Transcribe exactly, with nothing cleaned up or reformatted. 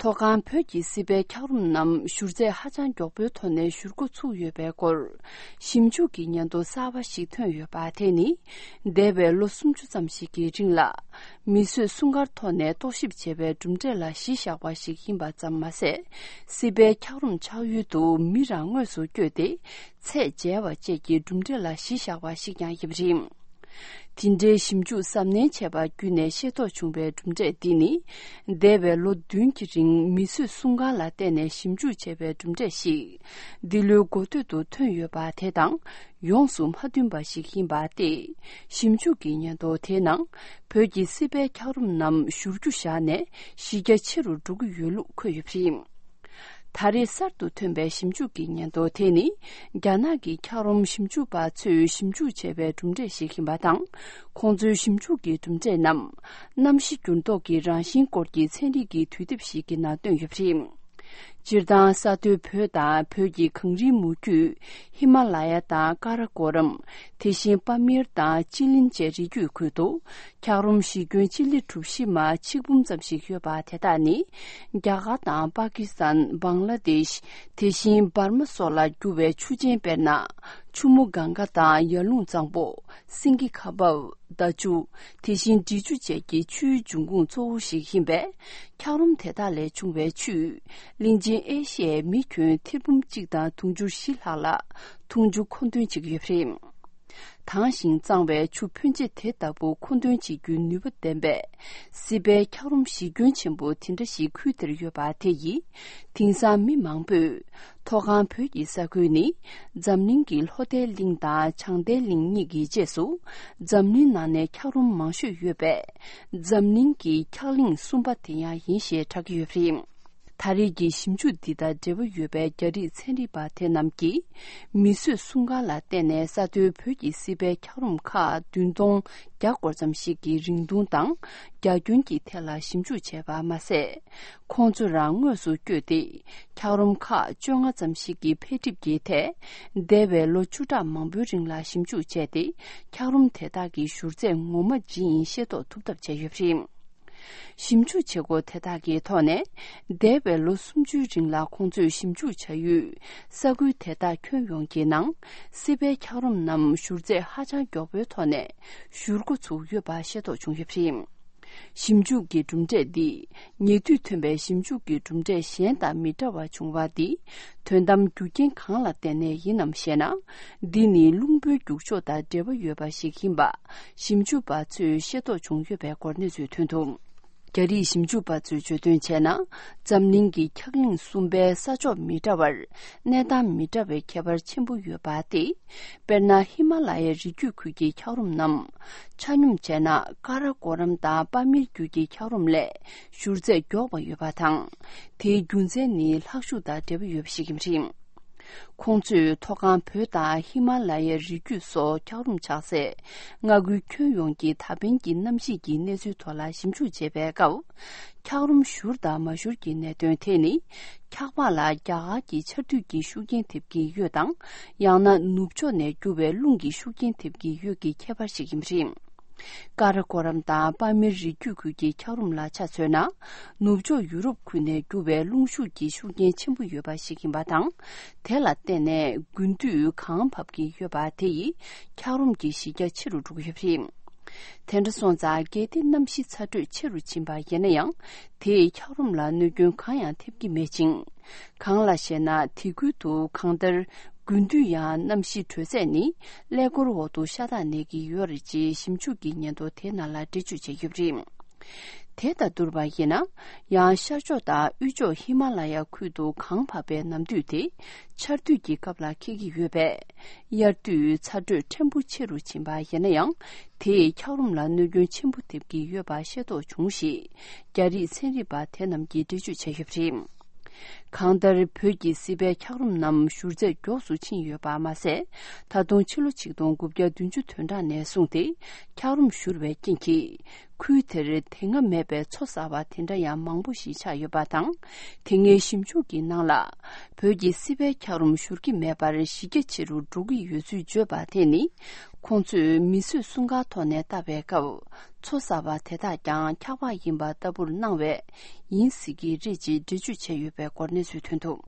མཐོ་སྒང་བོད་ཀྱི་སྲིད་པའི་འཁྱགས་རོམ་རྣམས་བཞུར་རྫས་ཧ་ཅང་མགྱོགས་པོའི་ཐོག་ནས་བཞུར་འགོ་ཚུགས་ཡོད་པའི་སྐོར། ཞིབ་འཇུག་གི་སྙན་ཐོ་གསར་པ་ཞིག་ཐོན་ཡོད་པ་དེ་ནི། འདས་པའི་ལོ་སུམ་ཅུ་ཙམ་ཞིག་གི་རིང་ལ། མིས་བཟོས་སྲུང་སྐར་ཐོག་ནས་རྟོག་ཞིབ་བྱས་པའི་གྲུབ་འབྲས་ལ་གཞི་བཞག་པ་ཞིག་ཡིན་པ་ཙམ་མ་ཟད། སྲིད་པའི་འཁྱགས་རོམ་ཆགས་ཡུལ་དུ་མི་རང་དངོས་སུ་བསྐྱོད་དེ། ཚད་འཇལ་བ་བཅས་ཀྱི་གྲུབ་འབྲས་ལ་གཞི་བཞག་པ་ཞིག་ཀྱང་ཡིན་པ་རེད། དེ་འདྲའི་ཞིབ་འཇུག་གཟབ་ནན་བྱས་པ་བརྒྱུད་ནས་ཤེས་རྟོགས་བྱུང་བའི་གྲུབ་འབྲས་འདི་ནི། འདས་པའི་ལོ་བདུན་གྱི་རིང་མིས་བཟོས་སྲུང་སྐར་ལ་བརྟེན་ནས་ཞིབ་འཇུག་བྱས་པའི་གྲུབ་འབྲས་ཤིག་འདི་ལོའི་འགོ་སྟོད་དུ་ཐོན་ཡོད་པ་དེ་དང་ཡོངས་སུ་མ་མཐུན་པ་ཞིག་ཡིན་པ་སྟེ། ཞིབ་འཇུག་གི་སྙན་ཐོ་དེའི་ནང་བོད་ཀྱི་སྲིད་པའི་འཁྱགས་རོམ་རྣམས་བཞུར་རྒྱུ་བཞག་ནས་གཞི་རྒྱ་ཆེ་རུ་འགྲོ་གི་ཡོད་ལུགས་འཁོད་ཡོད་པ་རེད། ད་རེས་གསར་དུ་ཐོན་པའི་ཞིབ་འཇུག་གི་སྙན་ཐོ་དེ་ནི། རྒྱ་ནག་གི་འཁྱགས་རོམ་ཞིབ་འཇུག་པ་ཚོས་ཞིབ་འཇུག་བྱས་པའི་གྲུབ་འབྲས་ཤིག་ཡིན་པ་དང་། ཁོང་ཚོའི་ཞིབ་འཇུག་གི་གྲུབ་འབྲས་རྣམས། གནམ་གཤིས་འགྱུར་ལྡོག་གི་རང་བཞིན་སྐོར་གྱི་ཚན་རིག་གི་དུས་དེབ་ཞིག་གི་ནང་བཏོན་ཡོད་པ་རེད། སྤྱིར་བཏང་ས་མཐོའི་བོད་དང་བོད་ཀྱི་གངས་རིའི་མུ་རྒྱུད། ཧི་མ་ལ་ཡ་དང་ཀ་ར་ཀོ་རམ། དེ་བཞིན་པ་མིར་དང་ཅི་ལིན་བཅས་རི་རྒྱུད་ཁུལ་དུ། འཁྱགས་རོམ་གཞི་ཁྱོན་སྤྱི་ལེ་གྲུ་བཞི་མ་ཆིག་འབུམ་ཙམ་ཞིག་ཡོད་པ་དེ་དག་ནི། རྒྱ་གར་དང་པ་ཀི་སི་ཐན། བང་ལ་དེཤ། དེ་བཞིན་འབར་མ་སོགས་ལ་རྒྱུ་བའི་ཆུ་ཆེན་དཔེར་ན། ཆུ་མོ་གངྒཱ་དང་ཡར་ཀླུང་གཙང་པོ། སེང་གེ་ཁ་འབབ། མདའ་ཆུ། དེ་བཞིན་འབྲི་ཆུ་བཅས་ཀྱི་ཆུའི་འབྱུང་ཁུངས་གཙོ་བོ་ཞིག་ཡིན་པས། འཁྱགས་རོམ་དེ་དག་ལས་བྱུང་བའི་ཆུས། གླིང་ཆེན་ཨེ་ཤི་ཡའི་མི་ཁྱོན་ཐེར་འབུམ་གཅིག་དང་དུང་ཕྱུར་བཞི་ལྷག་ལ། འཐུང་ཆུ་མཁོ་འདོན་བྱེད་ཀྱི་ཡོད་པ་རེད། དྭངས་ཤིང་གཙང་བའི་ཆུ་ཕོན་ཆེ་དེ་ལྟ་བུ་མཁོ་འདོན་བྱེད་རྒྱུའི་ནུས་པ་ལྡན་པའི། སྲིད་པའི་འཁྱགས་རོམ་གཞི་ཁྱོན་ཆེན་པོ་དེ་འདྲ་ཞིག་ཁུལ་དེར་ཡོད་པ་དེ་ཡིས། དེང་སང་མི་མང་པོས། མཐོ་སྒང་བོད་ཀྱི་ས་ཁུལ་ནི། འཛམ་གླིང་གི་ལྷོ་མཐའི་གླིང་དང་བྱང་མཐའི་གླིང་གཉིས་ཀྱི་རྗེས་སུ། འཛམ་གླིང་ནང་ནས་འཁྱགས་རོམ་མང་ཤོས་ཡོད་པས། འཛམ་གླིང་གི་འཁྱགས་གླིང་གསུམ་པ་དེ་ཡང་ཡིན་ཞེས་གྲགས་ཀྱི་ཡོད་པ་རེད། ད་རེས་ཀྱི་ཞིབ་འཇུག་འདི་དང་འབྲེལ་བ་ཡོད་པའི་རྒྱ་རིགས་ཚན་རིག་པ་དེ་རྣམས་ཀྱིས། མིས་བཟོས་སྲུང་སྐར་ལ་བརྟེན་ནས་ས་མཐོའི་བོད་ཀྱི་སྲིད་པའི་འཁྱགས་རོམ་ཁག་བདུན་སྟོང་བརྒྱ་སྐོར་ཙམ་ཞིག་གི་རིང་ཐུང་དང་། རྒྱ་ཁྱོན་གྱི་ཐད་ལ་ཞིབ་འཇུག་བྱས་པ་མ་ཟད། ཁོང་ཚོ་རང་དངོས་སུ་བསྐྱོད་དེ། འཁྱགས་རོམ་ཁག་བཅོ་ལྔ་ཙམ་ཞིག་གི་འཕེལ་འགྲིབ་ཀྱི་ཐད། འདས་པའི་ལོ་བཅུ་ཕྲག་མང་པོའི་རིང་ལ་ཞིབ་འཇུག་བྱས་ཏེ། འཁྱགས་རོམ་དེ་དག་གི་བཞུར་རྫས་ངོ་མ་ཇི་ཡིན་ཤེས་རྟོགས་ཐུབ་ཐབས་བྱས་ཡོད་པ་རེད། ཞིབ་འཇུག་བྱེད་སྒོ་དེ་དག་གི་ཐོག་ནས། འདས་པའི་ལོ་སུམ་ཅུའི་རིང་ལ་ཁོང་ཚོས་ཞིབ་འཇུག་བྱ་ཡུལ། ས་ཁུལ་དེ་དག་ཁྱོན་ཡོངས་ཀྱི་ནང་། སྲིད་པའི་འཁྱགས་རོམ་རྣམས་བཞུར་རྫས་ཧ་ཅང་མགྱོགས་པོའི་ཐོག་ནས། བཞུར་འགོ་ཚུགས་ཡོད་པ་ཤེས་རྟོགས་བྱུང་ཡོད་པ་རེད། ཞིབ་འཇུག་གི་གྲུབ་འབྲས་འདི། ཉེ་དུས་ཐོན་པའི་ཞིབ་འཇུག་གི་གྲུབ་འབྲས་གཞན་དང་མི་འདྲ་བ་བྱུང་བ་འདི། དོན་དམ་རྒྱུ་རྐྱེན་གང་ལ་བརྟེན་ནས་ཡིན་ནམ་ཞེ་ན། འདི་ནི་རླུང་བུའི་རྒྱུག་ཕྱོགས་དང་འབྲེལ་བ་ཡོད་པ་ཞིག་ཡིན་པ། ཞིབ་འཇུག་པ་ཚོས་ཤེས་རྟོགས་བྱུང་ཡོད་པའི་སྐོར་གནས་ཚུལ་ཐོན་འདུག་རྒྱ་རིགས་ཞིབ་འཇུག་པ་ཚོས་བརྗོད་དོན་བྱས་ན། འཛམ་གླིང་གི་འཁྱགས་གླིང་གསུམ་པའི་ས་ཕྱོགས་མི་འདྲ་བར། གནས་སྟངས་མི་འདྲ་བའི་ཁྱད་པར་ཆེན་པོ་ཡོད་པ་སྟེ། དཔེར་ན། ཧི་མ་ལ་ཡའི་རི་རྒྱུད་ཁུལ་གྱི་འཁྱགས་རོམ་རྣམས། ཆ་སྙོམས་བྱས་ན། ཀ་ར་ཀོ་རམ་དང་པ་མིར་རྒྱུད་ཀྱི་འཁྱགས་རོམ་ལས། བཞུར་རྫས་མགྱོགས་པ་ཡོད་པ་དང་། དེའི་རྒྱུ་མཚན་ནི། ལྷག་ཤུགས་དང་འབྲེལ་བ་ཡོད་པ་ཞིག་ཡིན་པ་རེད། ཁོང་ཚོས་མཐོ་སྒང་བོད་དང་ཧི་མ་ལ་ཡའི་རི་རྒྱུད་སོགས་འཁྱགས་རོམ་ཆགས་སའི་མངའ་ཁུལ་ཁྱོན་ཡོངས་ཀྱི་ད་ཕན་གྱི་གནམ་གཤིས་ཀྱི་གནས་ཚུལ་ཐོག་ལ་ཞིབ་འཇུག་བྱེད་པའི་སྐབས། འཁྱགས་རོམ་བཞུར་དང་མ་བཞུར་གྱི་གནད་དོན་དེ་ནི། འཁྱགས་པ་ལ་རྒྱ་གར་གྱི་ཆར་དུས་ཀྱི་ཤུགས་རྐྱེན་ཐེབས་ཀྱི་ཡོད་དང་། ཡང་ན་ནུབ་ཕྱོགས་ནས་རྒྱུ་བའི་རླུང་གི་ཤུགས་རྐྱེན་ཐེབས་ཀྱི་ཡོད་ཀྱི་ཁྱད་པར་ཞིག་ཡིན་པ་རེད། ཀ་ར་ཀོ་རམ་དང་པ་མིར་རི་རྒྱུད་ཁུལ་གྱི་འཁྱགས་རོམ་ལ་ཆ་མཚོན་ན། ནུབ་ཕྱོགས་ཡུ་རོབ་ཁུལ་ནས་རྒྱུ་བའི་རླུང་ཤུགས་ཀྱི་ཤུགས་རྐྱེན་ཆེན་པོ་ཡོད་པ་ཞིག་ཡིན་པ་དང་། དེ་ལ་བརྟེན་ནས་དགུན་དུས་གངས་བབས་ཀྱི་ཡོད་པ་དེ་ཡིས་འཁྱགས་རོམ་གྱི་གཞི་རྒྱ་ཆེ་རུ་འགྲོ་གི་ཡོད་པ་རེད། དེ་འདྲ་སོང་ཙང་། གལ་ཏེ་གནམ་གཤིས་ཚ་དྲོད་ཆེ་རུ་ཕྱིན་པ་ཡིན་ན་ཡང་། དེས་འཁྱགས་རོམ་ལ་གནོད་སྐྱོན་གང་ཡང་ཐེབས་ཀྱི་མེད་ཅིང་། གང་ལ་ཞེ་ན། དེ་ཁུལ་དུ་གང་ལྟར། དགུན་དུས་ཡང་གནམ་གཤིས་དྲོད་ཚད་ནི། ཀླད་ཀོར་འོག་ཏུ་ཤ་སྟག་གནས་ཀྱི་ཡོད་རེད་ཅེས་ཞིབ་འཇུག་གི་སྙན་ཐོ་དེ་ནང་ལ་འགྲེལ་བརྗོད་བྱས་ཡོད་པ་རེད། དེ་དང་བསྡུར་བ་ཡིན་ན། ཡང་ཤར་ཕྱོགས་དང་དབུས་ཕྱོགས་ཧི་མ་ལ་ཡ་ཁུལ་དུ་གངས་བབས་པའི་ནམ་དུས་དེ། ཆར་དུས་ཀྱི་སྐབས་ལ་འཁེལ་གྱི་ཡོད་པས། དབྱར་དུས་ཚ་དྲོད་ཕྲན་བུ་ཆེ་རུ་ཕྱིན་པ་ཡིན་ན་ཡང་། དེས་འཁྱགས་རོམ་ལ་གནོད་སྐྱོན་ཆེན་པོ་ཐེབས་ཀྱི་ཡོད་པ་ཤེས་རྟོགས་བྱུང་ཞེས། རྒྱ་རིགས་ཚན་རིག་པ་དེ་རྣམས་ཀྱིས་འགྲེལ་བརྗོད་བྱས་ཡོད་པ་རེད། གང་ལྟར། བོད་ཀྱི་སྲིད་པའི་འཁྱགས་རོམ་རྣམས་བཞུར་ཚད་མགྱོགས་སུ་ཕྱིན་ཡོད་པ་མ་ཟད། ད་དུང་ཕྱི་ལོ་ཆིག་སྟོང་དགུ་བརྒྱ་བདུན་ཅུ་དོན་གྲངས་ནས་བཟུང་སྟེ། འཁྱགས་རོམ་བཞུར་བའི་རྐྱེན་གྱིས། ཁུལ་དེར་དེ་སྔ་མེད་པའི་མཚོ་གསར་པ་དེ་འདྲ་ཡང་མང་པོ་ཞིག་ཆགས་ཡོད་པ་དང་། དེ་སྔའི་ཞིབ་འཇུག་གི་ནང་ལ། བོད་ཀྱི་སྲིད་པའི་འཁྱགས་རོམ་བཞུར་གྱི་མེད་པར་གཞི་རྒྱ་ཆེ་རུ་འགྲོ་གི་ཡོད་ཚུལ་བརྗོད་པ་དེ་ནི། ཁོང་ཚོས་མིས་བཟོས་སྲུང་སྐར་ཐོག་ནས་བལྟ་བའི་སྐབས། མཚོ་གསར་པ་དེ་དག་ཀྱང་འཁྱགས་པ་ཡིན་པ་ལྟ་བུར་སྣང་བས་ཡིན་སྲིད་ཀྱི་རེད་ཅེས་འགྲེལ་བརྗོད་བྱས་ཡོད་པའི་སྐོར་གནས་ཚུལ་ཐོན་འདུག